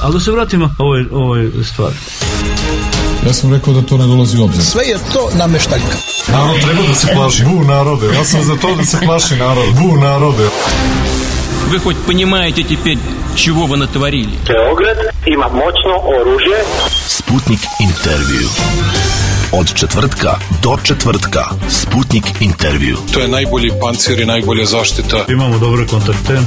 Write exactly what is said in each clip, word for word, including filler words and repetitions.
Ali da se vratimo ovoj, ovoj stvari. Ja sam rekao da to ne dolazi u obzir. Sve je to nameštaljka. Narod treba da se plaši. Bu narode. Ja sam za to da se plaši narod. Bu narode. Вы хоть понимаете теперь, чего вы натворили? Beograd ima moćno oružje. Sputnik intervju. Od četvrtka do četvrtka. Sputnik intervju. To je najbolji pancir i najbolja zaštita. Imamo dobre kontakte.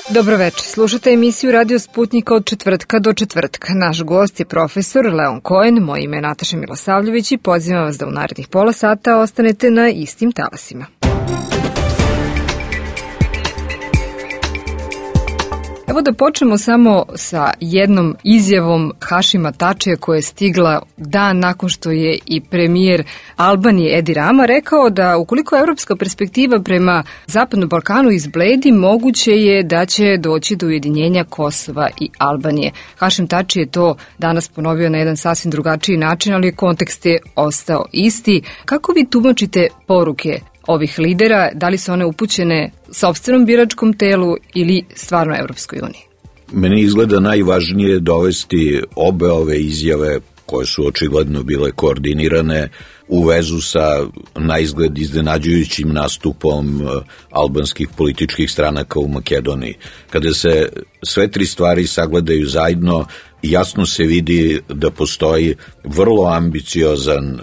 Dobro večer, slušate emisiju Radio Sputnika od četvrtka do četvrtka. Naš gost je profesor Leon Cohen, moje ime je Nataša Milosavljević i pozivam vas da u narednih pola sata ostanete na istim talasima. Evo da počnemo samo sa jednom izjavom Hašima Tačija koja je stigla dan nakon što je i premijer Albanije Edi Rama rekao da ukoliko evropska perspektiva prema Zapadnom Balkanu izbledi, moguće je da će doći do ujedinjenja Kosova i Albanije. Hašim Tači je to danas ponovio na jedan sasvim drugačiji način, ali kontekst je ostao isti. Kako vi tumačite poruke ovih lidera, da li su one upućene sopstvenom biračkom telu ili stvarno Evropskoj uniji? Meni izgleda najvažnije dovesti obe ove izjave, koje su očigledno bile koordinirane, u vezu sa naizgled iznenađujućim nastupom albanskih političkih stranaka u Makedoniji. Kada se sve tri stvari sagledaju zajedno, jasno se vidi da postoji vrlo ambiciozan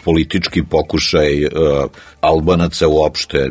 politički pokušaj uh, Albanaca uopšte,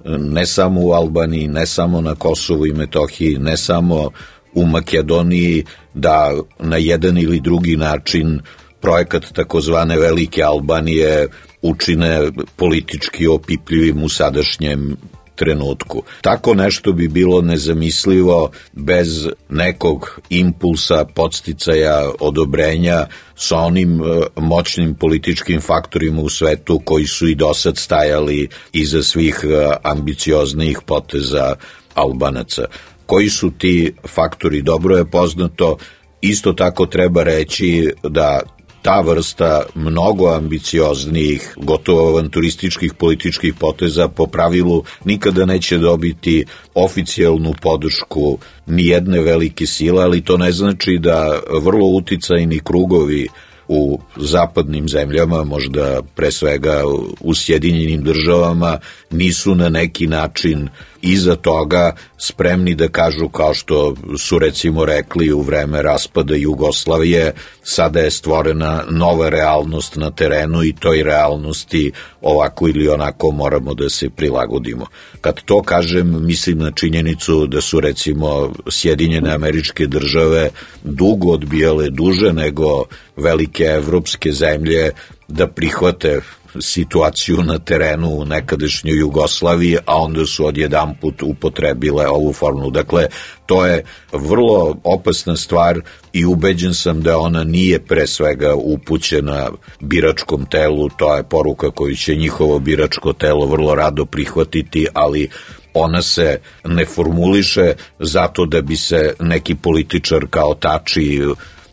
ne samo u Albaniji, ne samo na Kosovu i Metohiji, ne samo u Makedoniji, da na jedan ili drugi način projekat takozvane Velike Albanije učine politički opipljivim u sadašnjem trenutku. Tako nešto bi bilo nezamislivo bez nekog impulsa, podsticaja, odobrenja sa onim moćnim političkim faktorima u svetu koji su i dosad stajali iza svih ambicioznijih poteza Albanaca. Koji su ti faktori, dobro je poznato. Isto tako treba reći da ta vrsta mnogo ambicioznijih, gotovo avanturističkih političkih poteza po pravilu nikada neće dobiti oficijalnu podršku ni jedne velike sile, ali to ne znači da vrlo uticajni krugovi u zapadnim zemljama, možda pre svega u Sjedinjenim državama, nisu na neki način iza toga spremni da kažu, kao što su recimo rekli u vreme raspada Jugoslavije, sada je stvorena nova realnost na terenu i toj realnosti ovako ili onako moramo da se prilagodimo. Kad to kažem, mislim na činjenicu da su recimo Sjedinjene Američke Države dugo odbijale, duže nego velike evropske zemlje, da prihvate situaciju na terenu u nekadašnjoj Jugoslaviji, a onda su odjedanput upotrebile ovu formulu. Dakle, to je vrlo opasna stvar i ubeđen sam da ona nije pre svega upućena biračkom telu, to je poruka koju će njihovo biračko telo vrlo rado prihvatiti, ali ona se ne formuliše zato da bi se neki političar kao Tači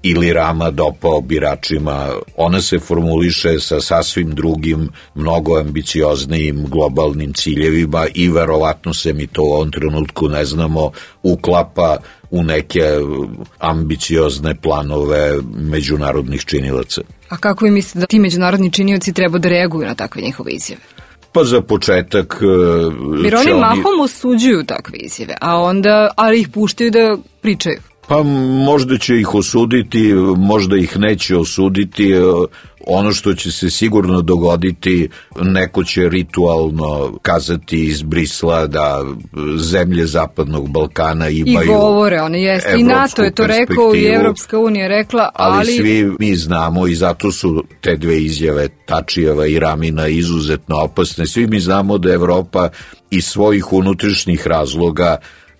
ili Rama dopao biračima. Ona se formuliše sa sasvim drugim, mnogo ambicioznijim globalnim ciljevima i verovatno se mi to u ovom trenutku ne znamo uklapa u neke ambiciozne planove međunarodnih činilaca. A kako vi mislite da ti međunarodni činioci treba da reaguju na takve njihove izjave? Pa za početak... Jer oni mahom osuđuju takve izjave, a onda, ali ih puštaju da pričaju. Pa možda će ih osuditi, možda ih neće osuditi. Ono što će se sigurno dogoditi, neko će ritualno kazati iz Brisla da zemlje Zapadnog Balkana imaju... I govore, one jeste. I NATO je to rekao i Evropska unija rekla, ali... Ali svi mi znamo i zato su te dve izjave Tačijeva i Ramina izuzetno opasne. Svi mi znamo da Evropa iz svojih unutrašnjih razloga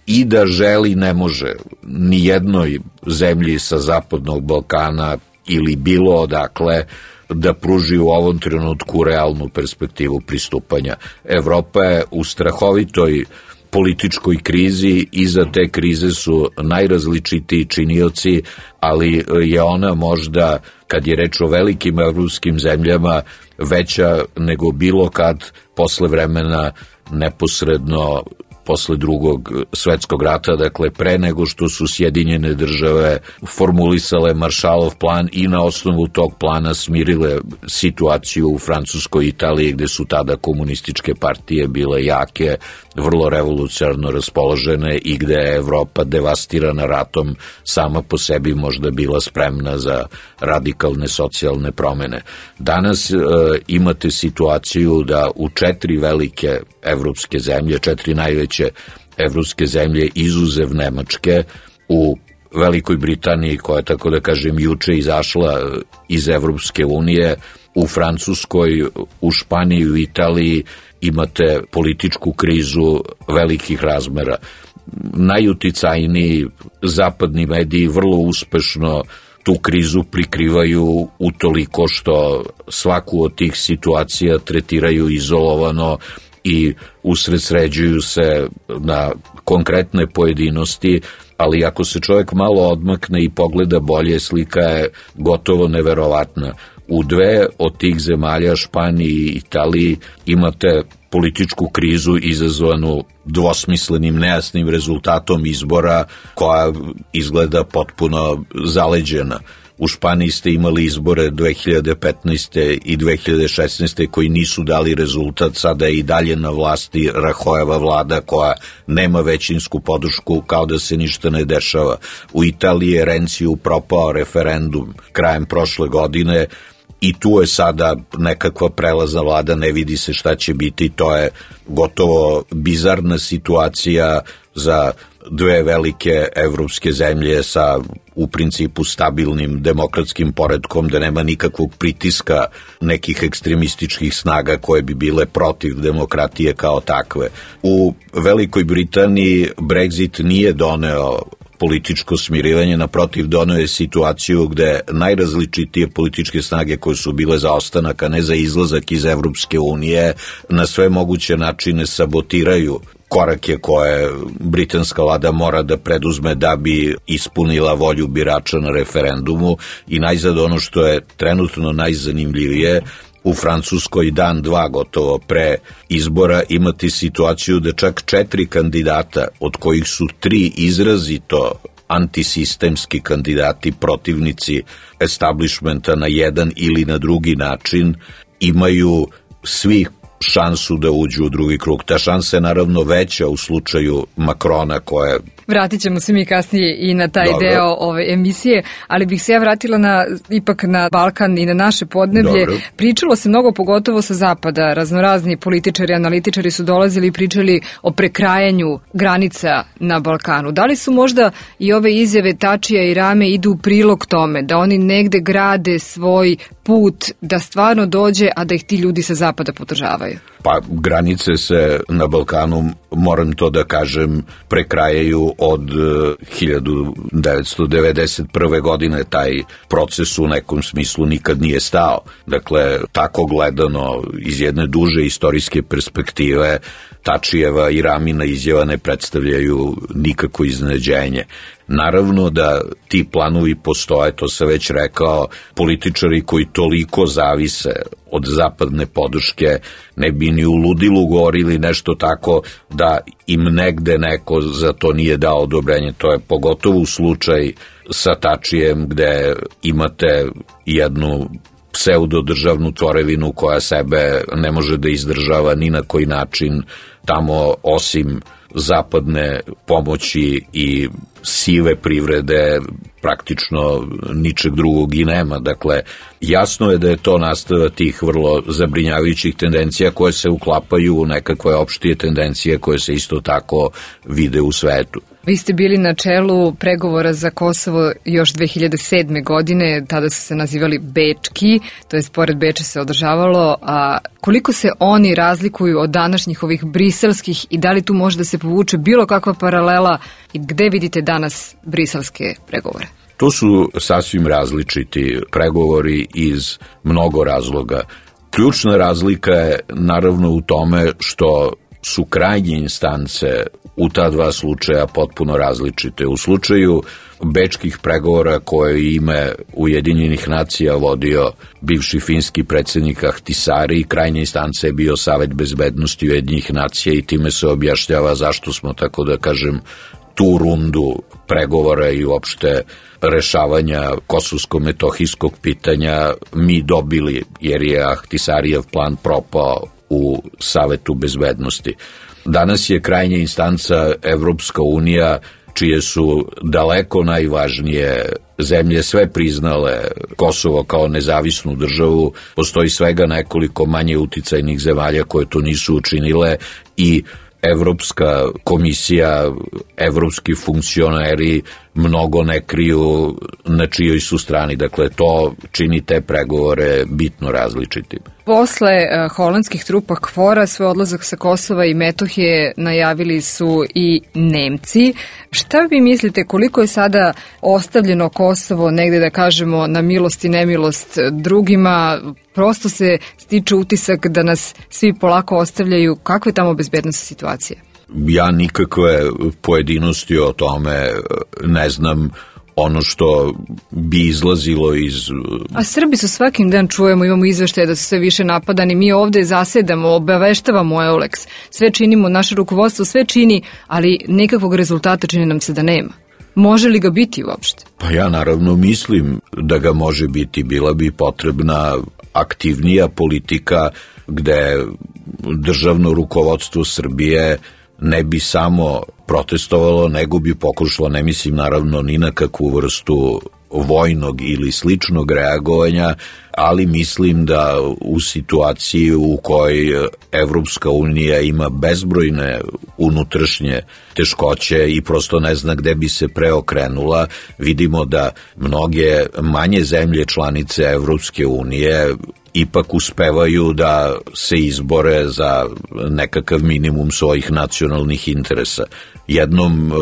i da želi ne može ni jednoj zemlji sa Zapadnog Balkana ili bilo odakle da pruži u ovom trenutku realnu perspektivu pristupanja. Evropa je u strahovitoj političkoj krizi, iza te krize su najrazličitiji činioci, ali je ona možda, kad je reč o velikim evropskim zemljama, veća nego bilo kad posle vremena neposredno posle drugog svetskog rata, dakle pre nego što su Sjedinjene države formulisale Maršalov plan i na osnovu tog plana smirile situaciju u Francuskoj i Italiji, gde su tada komunističke partije bile jake, vrlo revolucionarno raspoložene i gde je Evropa devastirana ratom sama po sebi možda bila spremna za radikalne socijalne promene. Danas e, imate situaciju da u četiri velike evropske zemlje, četiri najveće evropske zemlje izuzev Nemačke, u Velikoj Britaniji, koja je, tako da kažem, juče izašla iz Evropske unije, u Francuskoj, u Španiji, u Italiji imate političku krizu velikih razmera. Najuticajniji zapadni mediji vrlo uspešno tu krizu prikrivaju utoliko što svaku od tih situacija tretiraju izolovano i usredsređuju se na konkretne pojedinosti, ali ako se čovjek malo odmakne i pogleda bolje, slika je gotovo neverovatna. U dve od tih zemalja, Španiji i Italiji, imate političku krizu izazvanu dvosmislenim, nejasnim rezultatom izbora koja izgleda potpuno zaleđena. U Španiji ste imali izbore dve hiljade petnaeste. i dve hiljade šesnaeste. koji nisu dali rezultat, sada je i dalje na vlasti Rahojeva vlada koja nema većinsku podršku, kao da se ništa ne dešava. U Italiji je Renciju propao referendum krajem prošle godine i tu je sada nekakva prelazna vlada, ne vidi se šta će biti, to je gotovo bizarna situacija za dve velike evropske zemlje sa u principu stabilnim demokratskim poretkom, da nema nikakvog pritiska nekih ekstremističkih snaga koje bi bile protiv demokratije kao takve. U Velikoj Britaniji Brexit nije doneo političko smirivanje, naprotiv doneo je situaciju gde najrazličitije političke snage koje su bile za ostanak, a ne za izlazak iz Evropske unije, na sve moguće načine sabotiraju korake koje britanska vlada mora da preduzme da bi ispunila volju birača na referendumu. I najzad ono što je trenutno najzanimljivije, u Francuskoj dan, dva gotovo pre izbora imate situaciju da čak četiri kandidata, od kojih su tri izrazito antisistemski kandidati, protivnici establishmenta na jedan ili na drugi način, imaju svi šansu da uđu u drugi krug. Ta šansa je naravno veća u slučaju Makrona, koja... Vratit ćemo se mi kasnije i na taj Dobro. deo ove emisije, ali bih se ja vratila na, ipak na Balkan i na naše podneblje. Dobro. Pričalo se mnogo, pogotovo sa zapada. Raznorazni političari, analitičari su dolazili i pričali o prekrajanju granica na Balkanu. Da li su možda i ove izjave Tačija i Rame idu u prilog tome, da oni negde grade svoj put da stvarno dođe, a da ih ti ljudi sa zapada podržavaju? Pa granice se na Balkanu, moram to da kažem, prekrajaju od hiljadu devetsto devedeset prve. godine. Taj proces u nekom smislu nikad nije stao. Dakle, tako gledano iz jedne duže istorijske perspektive, Tačijeva i Ramina izjava ne predstavljaju nikako iznenađenje. Naravno da ti planovi postoje, to sam već rekao, političari koji toliko zavise od zapadne podrške ne bi ni u ludilu govorili nešto tako da im negde neko za to nije dao odobrenje. To je pogotovo slučaj sa Tačijem, gde imate jednu pseudodržavnu tvorevinu koja sebe ne može da izdržava ni na koji način. Tamo osim zapadne pomoći i sive privrede praktično ničeg drugog i nema. Dakle, jasno je da je to nastavak tih vrlo zabrinjavajućih tendencija koje se uklapaju u nekakve opštije tendencije koje se isto tako vide u svetu. Vi ste bili na čelu pregovora za Kosovo još dve hiljade sedme. godine, tada su se nazivali Bečki, to je pored Beča se održavalo, a koliko se oni razlikuju od današnjih ovih briselskih i da li tu može da se povuče bilo kakva paralela i gde vidite danas briselske pregovore? To su sasvim različiti pregovori iz mnogo razloga. Ključna razlika je naravno u tome što su krajnje instance u ta dva slučaja potpuno različite. U slučaju bečkih pregovora koje ime Ujedinjenih nacija vodio bivši finski predsjednik Ahtisaari, krajnja instanca je bio Savet bezbednosti Ujedinjenih nacija i time se objašnjava zašto smo, tako da kažem, tu rundu pregovora i uopšte rešavanja kosovsko-metohijskog pitanja mi dobili, jer je Ahtisaarijev plan propao u Savetu bezbednosti. Danas je krajnja instanca Evropska unija, čije su daleko najvažnije zemlje sve priznale Kosovo kao nezavisnu državu. Postoji svega nekoliko manje uticajnih zemalja koje to nisu učinile i Evropska komisija, evropski funkcioneri mnogo ne kriju na čijoj su strani. Dakle, to čini te pregovore bitno različitim. Posle uh, holandskih trupa KFOR-a svoj odlazak sa Kosova i Metohije najavili su i Nemci. Šta vi mislite, koliko je sada ostavljeno Kosovo negde, da kažemo, na milost i nemilost drugima? Prosto se stiče utisak da nas svi polako ostavljaju. Kakva je tamo bezbednostna situacija? Ja nikakve pojedinosti o tome ne znam. Ono što bi izlazilo iz... A Srbi su svakim dan čujemo, imamo izveštaje da su sve više napadani, mi ovde zasedamo, obaveštavamo Euleks, sve činimo, naše rukovodstvo sve čini, ali nekakvog rezultata čini nam se da nema. Može li ga biti uopšte? Pa ja naravno mislim da ga može biti, bila bi potrebna aktivnija politika gde državno rukovodstvo Srbije ne bi samo protestovalo, nego bi pokušalo, ne mislim naravno ni na kakvu vrstu vojnog ili sličnog reagovanja, ali mislim da u situaciji u kojoj Evropska unija ima bezbrojne unutrašnje teškoće i prosto ne zna gde bi se preokrenula, vidimo da mnoge manje zemlje članice Evropske unije ipak uspevaju da se izbore za nekakav minimum svojih nacionalnih interesa. Jednom e,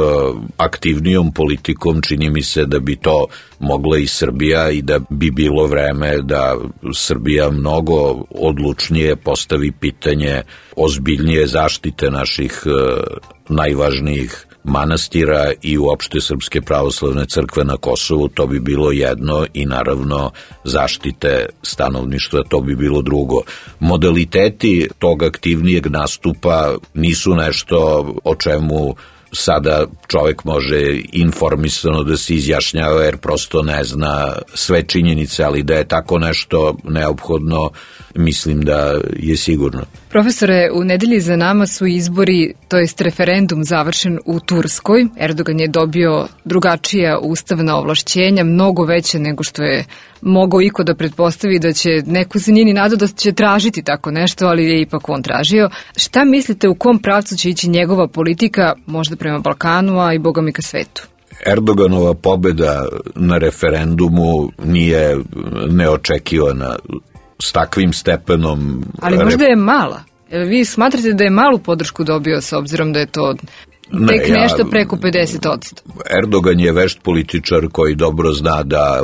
aktivnijom politikom čini mi se da bi to mogla i Srbija i da bi bilo vreme da Srbija mnogo odlučnije postavi pitanje ozbiljnije zaštite naših e, najvažnijih manastira i uopšte Srpske pravoslavne crkve na Kosovu. To bi bilo jedno i naravno zaštite stanovništva, to bi bilo drugo. Modaliteti tog aktivnijeg nastupa nisu nešto o čemu sada čovjek može informisano da se izjašnjava jer prosto ne zna sve činjenice, ali da je tako nešto neophodno, mislim da je sigurno. Profesore, u nedelji za nama su izbori, to jest referendum završen u Turskoj. Erdogan je dobio drugačija ustavna ovlašćenja, mnogo veće nego što je mogao iko da pretpostavi da će, neko se nije ni nadao da će tražiti tako nešto, ali je ipak on tražio. Šta mislite, u kom pravcu će ići njegova politika, možda prema Balkanu, a i boga mi ka svetu? Erdoganova pobeda na referendumu nije neočekivana. S takvim stepenom... Ali možda je mala. Vi smatrate da je malu podršku dobio s obzirom da je to tek ne, nešto ja, preko pedeset odsto? Erdogan je vešt političar koji dobro zna da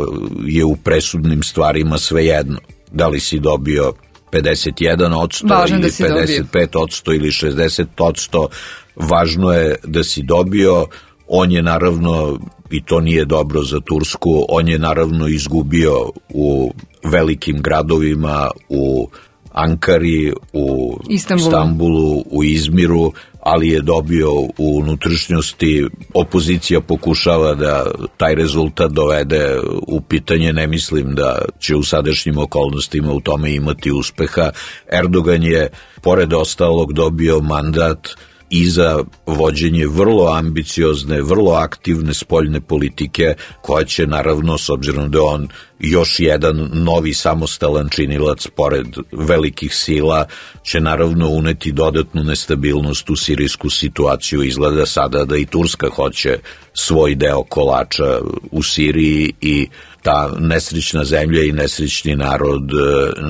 je u presudnim stvarima svejedno. Da li si dobio pedeset jedan odsto ili da pedeset pet odsto ili šezdeset odsto, važno je da si dobio. On je naravno, i to nije dobro za Tursku, on je naravno izgubio u velikim gradovima, u Ankari, u Istanbulu, Istanbulu u Izmiru, ali je dobio u unutrašnjosti. Opozicija pokušava da taj rezultat dovede u pitanje, ne mislim da će u sadašnjim okolnostima u tome imati uspeha. Erdogan je, pored ostalog, dobio mandat i za vođenje vrlo ambiciozne, vrlo aktivne spoljne politike, koja će naravno, s obzirom da on još jedan novi samostalan činilac pored velikih sila, će naravno uneti dodatnu nestabilnost u sirijsku situaciju. Izgleda sada da i Turska hoće svoj deo kolača u Siriji i ta nesrećna zemlja i nesrećni narod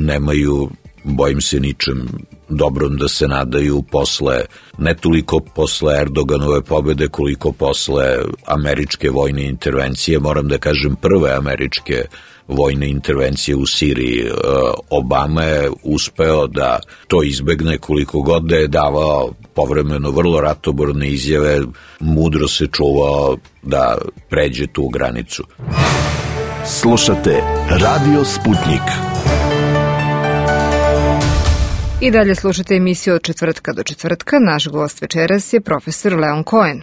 nemaju, bojim se, ničem dobrom da se nadaju posle, ne toliko posle Erdoganove pobede koliko posle američke vojne intervencije. Moram da kažem, prve američke vojne intervencije u Siriji. Obama je uspeo da to izbegne, koliko god da je davao povremeno vrlo ratoborne izjave, mudro se čuvao da pređe tu granicu. Slušate Radio Sputnik. I dalje slušate emisiju od četvrtka do četvrtka. Naš gost večeras je profesor Leon Cohen.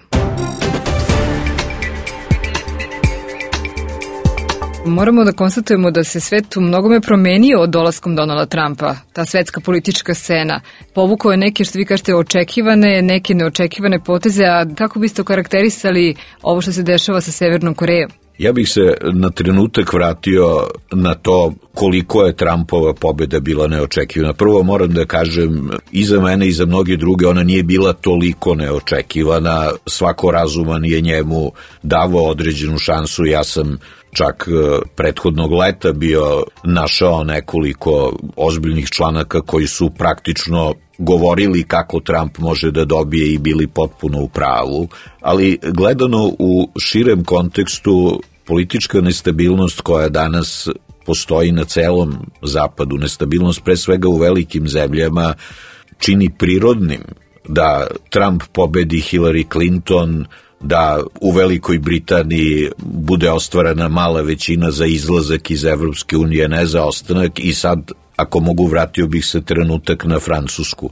Moramo da konstatujemo da se svet u mnogome promenio od dolaskom Donalda Trumpa. Ta svetska politička scena povukao je neke, što vi kažete, očekivane, neke neočekivane poteze, a kako biste okarakterisali ovo što se dešava sa Severnom Korejom? Ja bih se na trenutak vratio na to koliko je Trumpova pobjeda bila neočekivana. Prvo moram da kažem, i za mene i za mnoge druge, ona nije bila toliko neočekivana. Svako razuman je njemu davao određenu šansu. Ja sam čak prethodnog leta bio našao nekoliko ozbiljnih članaka koji su praktično govorili kako Trump može da dobije i bili potpuno u pravu, ali gledano u širem kontekstu, politička nestabilnost koja danas postoji na celom zapadu, nestabilnost pre svega u velikim zemljama, čini prirodnim da Trump pobedi Hillary Clinton, da u Velikoj Britaniji bude ostvarena mala većina za izlazak iz Evropske unije, ne za ostanak, i sad, ako mogu, vratio bih se trenutak na Francusku.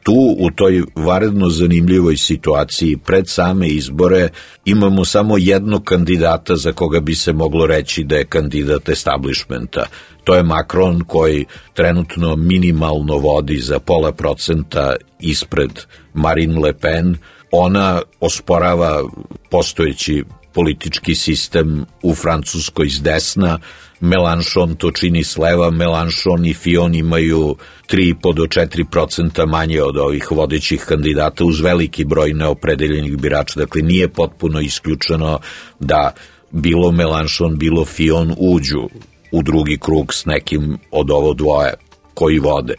Tu, u toj vanredno zanimljivoj situaciji, pred same izbore, imamo samo jednog kandidata za koga bi se moglo reći da je kandidat establishmenta. To je Macron, koji trenutno minimalno vodi za pola procenta ispred Marine Le Pen. Ona osporava postojeći politički sistem u Francuskoj s desna, Mélenchon to čini s leva. Mélenchon i Fillon imaju tri i po do četiri procenta manje od ovih vodećih kandidata uz veliki broj neopredeljenih birača. Dakle, nije potpuno isključeno da bilo Mélenchon, bilo Fillon uđu u drugi krug s nekim od ovo dvoje koji vode.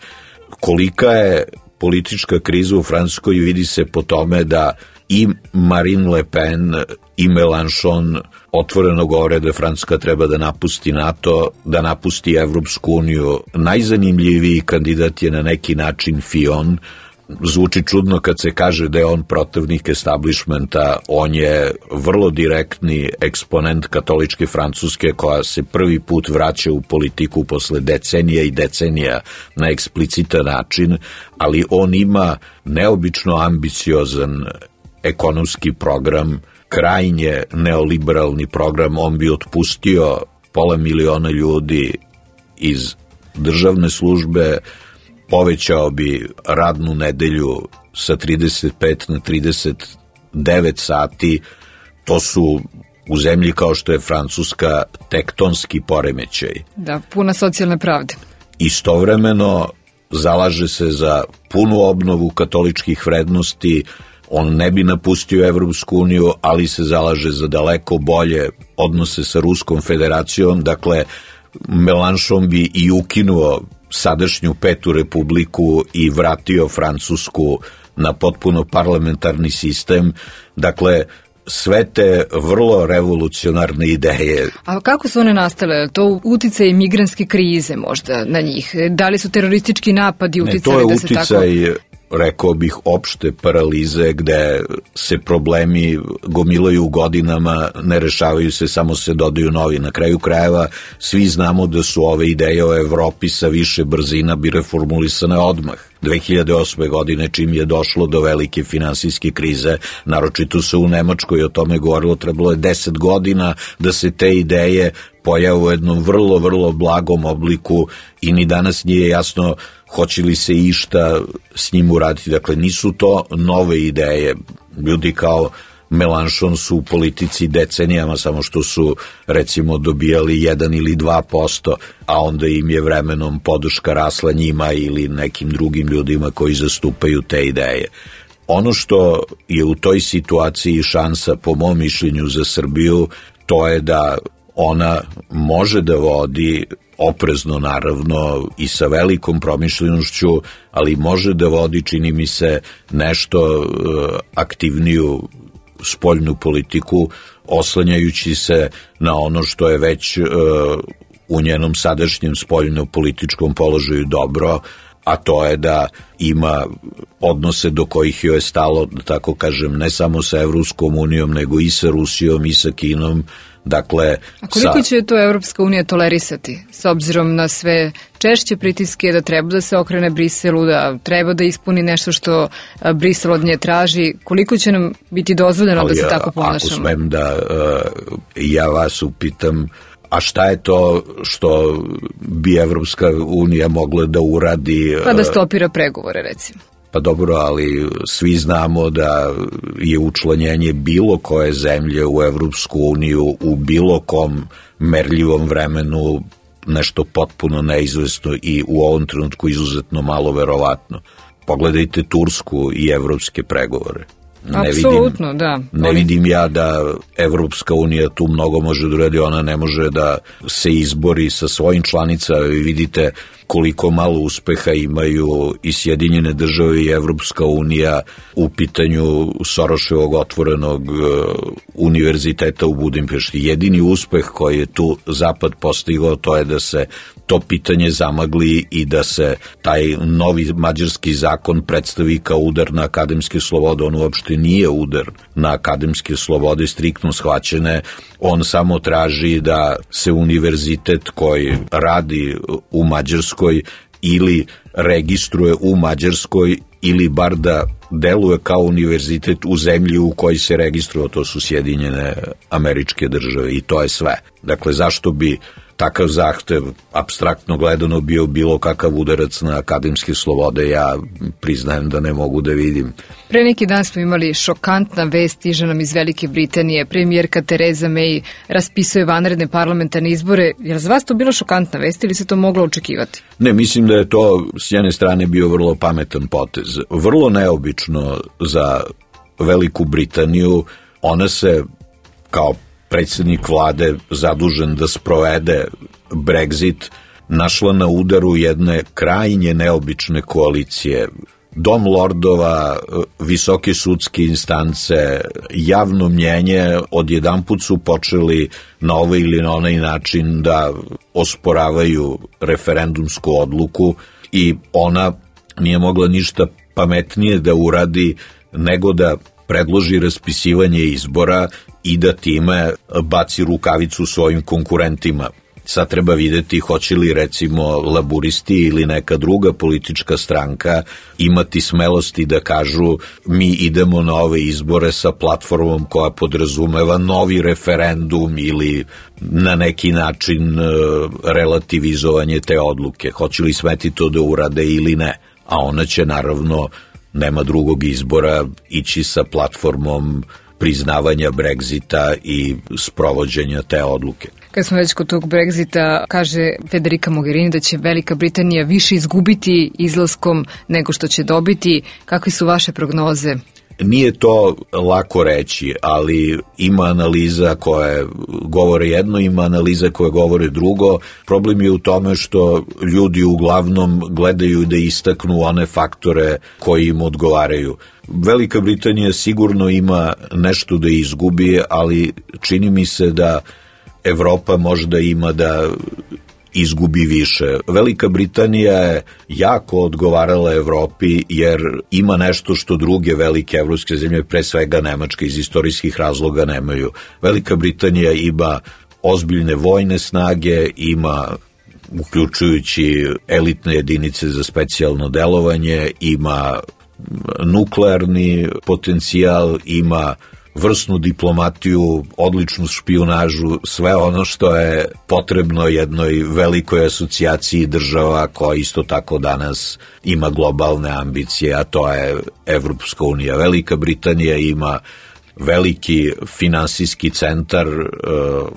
Kolika je politička kriza u Francuskoj vidi se po tome da i Marine Le Pen i Mélenchon otvoreno govore da Francuska treba da napusti NATO, da napusti Evropsku uniju. Najzanimljiviji kandidat je na neki način Fillon. Zvuči čudno kad se kaže da je on protivnik establishmenta, on je vrlo direktni eksponent katoličke Francuske koja se prvi put vraća u politiku posle decenija i decenija na eksplicitan način, ali on ima neobično ambiciozan ekonomski program, krajnje neoliberalni program. On bi otpustio pola miliona ljudi iz državne službe, povećao bi radnu nedelju sa trideset pet na trideset devet sati. To su u zemlji kao što je Francuska tektonski poremećaj. Da, puna socijalne pravde. Istovremeno zalaže se za punu obnovu katoličkih vrednosti. On ne bi napustio Evropsku uniju, ali se zalaže za daleko bolje odnose sa Ruskom federacijom. Dakle, Mélenchon bi i ukinuo sadašnju Petu republiku i vratio Francusku na potpuno parlamentarni sistem. Dakle, sve te vrlo revolucionarne ideje. A kako su one nastale? To uticaj migrantske krize možda na njih? Da li su teroristički napadi uticali da se tako... Ne, to je uticaj, rekao bih, opšte paralize gde se problemi gomilaju godinama, ne rešavaju se, samo se dodaju novi. Na kraju krajeva svi znamo da su ove ideje o Evropi sa više brzina bi reformulisane odmah. dve hiljade osme. godine, čim je došlo do velike finansijske krize, naročito se u Nemačkoj o tome govorilo, trebalo je deset godina da se te ideje pojave u jednom vrlo, vrlo blagom obliku i ni danas nije jasno hoće li se išta s njim uraditi. Dakle, nisu to nove ideje. Ljudi kao Mélenchon su u politici decenijama, samo što su, recimo, dobijali jedan ili dva posto, a onda im je vremenom podrška rasla njima ili nekim drugim ljudima koji zastupaju te ideje. Ono što je u toj situaciji šansa, po mom mišljenju, za Srbiju, to je da ona može da vodi oprezno, naravno, i sa velikom promišljenošću, ali može da vodi, čini mi se, nešto aktivniju spoljnu politiku, oslanjajući se na ono što je već u njenom sadašnjem spoljno-političkom položaju dobro, a to je da ima odnose do kojih joj je stalo, da tako kažem, ne samo sa Evropskom unijom, nego i sa Rusijom i sa Kinom. Dakle, a koliko sa... će to Evropska unija tolerisati, s obzirom na sve češće pritiske da treba da se okrene Briselu, da treba da ispuni nešto što Brisel od nje traži, koliko će nam biti dozvoljeno ali, da se tako ponašamo? Ako smem da uh, ja vas upitam, a šta je to što bi Evropska unija mogla da uradi? Pa da stopira pregovore, recimo. Pa dobro, ali svi znamo da je učlanjenje bilo koje zemlje u Evropsku uniju u bilo kom merljivom vremenu nešto potpuno neizvesno i u ovom trenutku izuzetno malo verovatno. Pogledajte Tursku i evropske pregovore. Ne Apsolutno, vidim, da. Ne vidim ja da Evropska unija tu mnogo može da uradi, ona ne može da se izbori sa svojim članicama. Vi vidite koliko malo uspeha imaju i Sjedinjene države i Evropska unija u pitanju Soroševog otvorenog univerziteta u Budimpešti. Jedini uspeh koji je tu Zapad postigao, to je da se to pitanje zamagli i da se taj novi mađarski zakon predstavi kao udar na akademske slobode. On uopšte nije udar na akademske slobode, striktno shvaćene. On samo traži da se univerzitet koji radi u Mađarskoj ili registruje u Mađarskoj ili bar da deluje kao univerzitet u zemlji u kojoj se registruje, to su Sjedinjene Američke Države, i to je sve. Dakle, zašto bi takav zahtev, apstraktno gledano, bio bilo kakav udarac na akademske slobode, ja priznajem da ne mogu da vidim. Pre neki dan smo imali šokantna vest, stiže nam iz Velike Britanije. Premijerka Theresa May raspisuje vanredne parlamentarne izbore. Je li za vas to bila šokantna vest ili se to moglo očekivati? Ne, mislim da je to s jedne strane bio vrlo pametan potez. Vrlo neobično za Veliku Britaniju. Ona se kao predsjednik vlade zadužen da sprovede Brexit našla na udaru jedne krajnje neobične koalicije. Dom lordova, visoke sudske instance, javno mnjenje odjedanput su počeli na ovaj ili na onaj način da osporavaju referendumsku odluku i ona nije mogla ništa pametnije da uradi nego da predloži raspisivanje izbora i da time baci rukavicu svojim konkurentima. Sad treba videti hoće li recimo laburisti ili neka druga politička stranka imati smelosti da kažu mi idemo na ove izbore sa platformom koja podrazumeva novi referendum ili na neki način relativizovanje te odluke. Hoće li smeti to da urade ili ne? A ona će naravno, nema drugog izbora, ići sa platformom priznavanja Brexita i sprovođenja te odluke. Kad smo već kod tog Brexita, kaže Federica Mogherini da će Velika Britanija više izgubiti izlaskom nego što će dobiti. Kakve su vaše prognoze? Nije to lako reći, ali ima analiza koje govore jedno, ima analiza koje govore drugo. Problem je u tome što ljudi uglavnom gledaju da istaknu one faktore koji im odgovaraju. Velika Britanija sigurno ima nešto da izgubi, ali čini mi se da Evropa možda ima da izgubi više. Velika Britanija je jako odgovarala Evropi jer ima nešto što druge velike evropske zemlje, pre svega Nemačka, iz istorijskih razloga nemaju. Velika Britanija ima ozbiljne vojne snage, ima uključujući elitne jedinice za specijalno delovanje, ima nuklearni potencijal, ima vrsnu diplomatiju, odličnu špijunažu, sve ono što je potrebno jednoj velikoj asocijaciji država koja isto tako danas ima globalne ambicije, a to je Evropska unija. Velika Britanija ima veliki finansijski centar,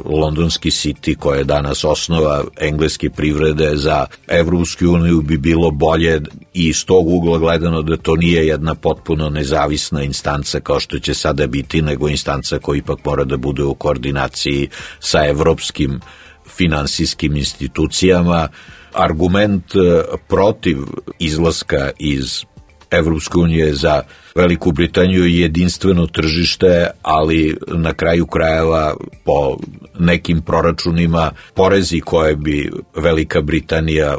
londonski City, koji je danas osnova engleske privrede. Za Evropsku uniju bi bilo bolje i iz tog ugla gledano da to nije jedna potpuno nezavisna instanca kao što će sada biti, nego instanca koja ipak mora da bude u koordinaciji sa evropskim finansijskim institucijama. Argument protiv izlaska iz Evropske unije za Veliku Britaniju je jedinstveno tržište, ali na kraju krajeva po nekim proračunima porezi koje bi Velika Britanija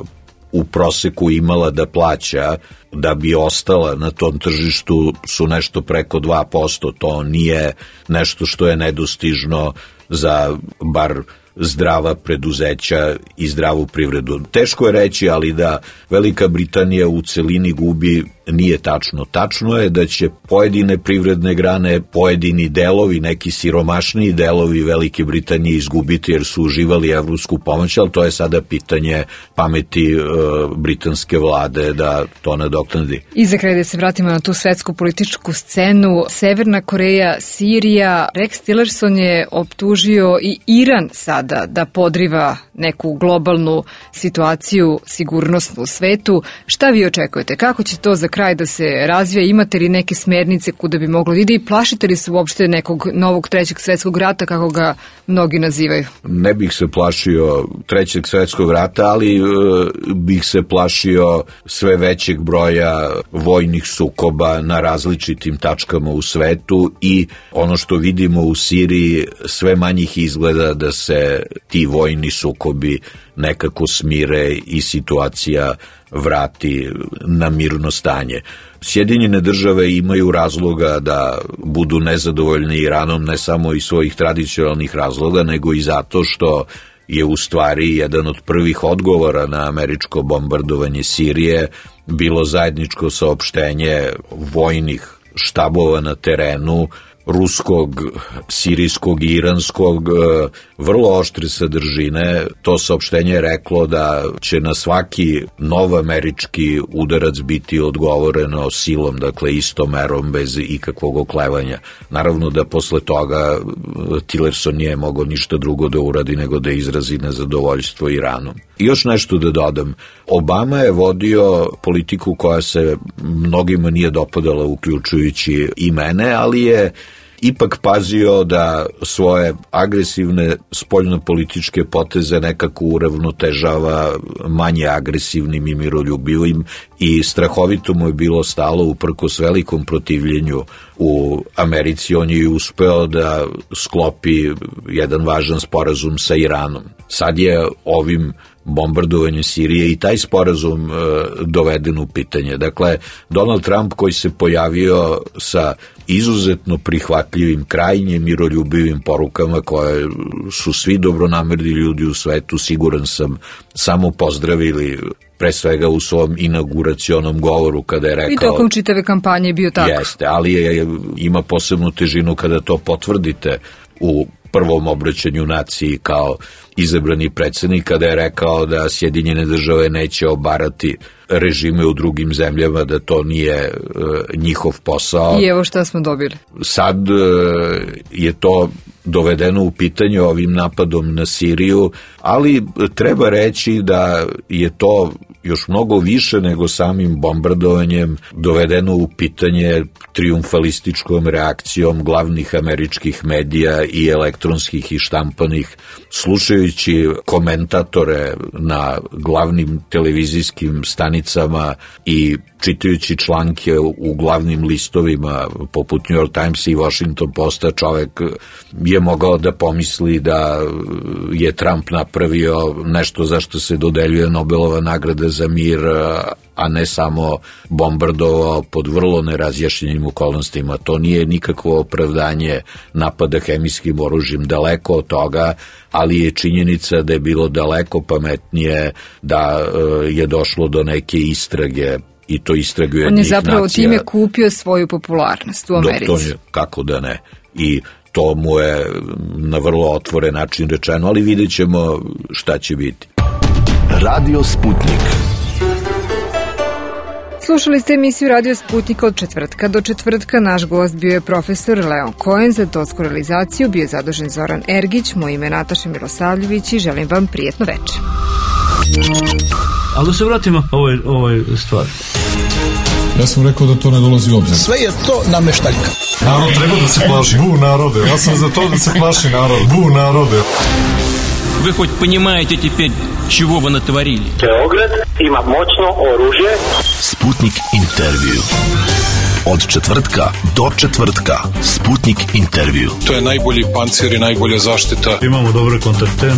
u proseku imala da plaća da bi ostala na tom tržištu su nešto preko dva posto. To nije nešto što je nedostižno za bar zdrava preduzeća i zdravu privredu. Teško je reći, ali da Velika Britanija u celini gubi nije tačno. Tačno je da će pojedine privredne grane, pojedini delovi, neki siromašniji delovi Velike Britanije izgubiti jer su uživali evropsku pomoć, ali to je sada pitanje pameti e, britanske vlade da to nadoknadi. I za kraj da se vratimo na tu svetsku političku scenu, Severna Koreja, Sirija, Rex Tillerson je optužio i Iran sada da podriva neku globalnu situaciju sigurnosnu u svetu. Šta vi očekujete? Kako će to za kraj da se razvija? Imate li neke smernice kuda bi moglo ide i plašite li se uopšte nekog novog trećeg svetskog rata, kako ga mnogi nazivaju? Ne bih se plašio trećeg svetskog rata, ali e, bih se plašio sve većeg broja vojnih sukoba na različitim tačkama u svetu i ono što vidimo u Siriji, sve manjih izgleda da se ti vojni sukobi nekako smire i situacija vrati na mirno stanje. Sjedinjene države imaju razloga da budu nezadovoljni Iranom ne samo iz svojih tradicionalnih razloga, nego i zato što je u stvari jedan od prvih odgovora na američko bombardovanje Sirije bilo zajedničko saopštenje vojnih štabova na terenu, ruskog, sirijskog i iranskog, vrlo oštre sadržine. To saopštenje je reklo da će na svaki nov američki udarac biti odgovoreno silom, dakle istom merom bez ikakvog oklevanja. Naravno da posle toga Tillerson nije mogao ništa drugo da uradi nego da izrazi nezadovoljstvo Iranom. I još nešto da dodam. Obama je vodio politiku koja se mnogima nije dopadala, uključujući i mene, ali je ipak pazio da svoje agresivne spoljnopolitičke poteze nekako uravnotežava manje agresivnim i miroljubivim i strahovito mu je bilo stalo uprkos velikom protivljenju u Americi. On je uspeo da sklopi jedan važan sporazum sa Iranom. Sad je ovim bombardovanjem Sirije i taj sporazum e, doveden u pitanje. Dakle, Donald Trump koji se pojavio sa izuzetno prihvatljivim, krajnje miroljubivim porukama koje su svi dobronamerni ljudi u svetu, siguran sam, samo pozdravili, pre svega u svom inauguracionom govoru kada je rekao... I tokom čitave kampanje je bio tako. Jeste, ali je, ima posebnu težinu kada to potvrdite u prvom obraćanju naciji kao izabrani predsjednik, kada je rekao da Sjedinjene države neće obarati režime u drugim zemljama, da to nije e, njihov posao. I evo šta smo dobili. Sad e, je to dovedeno u pitanje ovim napadom na Siriju, ali treba reći da je to još mnogo više nego samim bombardovanjem dovedeno u pitanje trijumfalističkom reakcijom glavnih američkih medija i elektronskih i štampanih. Slušajući komentatore na glavnim televizijskim stanicama i čitajući članke u glavnim listovima poput New York Timesa i Washington Posta, čovek je mogao da pomisli da je Trump napravio nešto za što se dodeljuje Nobelova nagrada za mir, a ne samo bombardovao pod vrlo nerazjašnjenim okolnostima. To nije nikakvo opravdanje napada hemijskim oružjem, daleko od toga, ali je činjenica da je bilo daleko pametnije da je došlo do neke istrage i to istrage jednih nacija. On je zapravo time kupio svoju popularnost u Americi. To je, kako da ne. I to mu je na vrlo otvoren način rečeno, ali vidjet ćemo šta će biti. Radio Sputnik. Slušali ste emisiju Radio Sputnika od četvrtka do četvrtka. Naš gost bio je profesor Leon Cohen, za tonsku realizaciju bio je zadužen Zoran Ergić, moje ime je Nataša Milosavljević i želim vam prijetno večer. Ali da se vratimo ovoj, ovoj stvari. Ja sam rekao da to ne dolazi u obzir. Sve je to nameštaljka. Narod treba da se plaši. Bu narode. Ja sam za to da se plaši narod. Bu narode. Вы хоть понимаете теперь, чего вы натворили? Beograd ima moćno oružje. Sputnik intervju. Od četvrtka do četvrtka. Sputnik intervju. To je najbolji pancir i najbolja zaštita. Imamo dobre kontakte.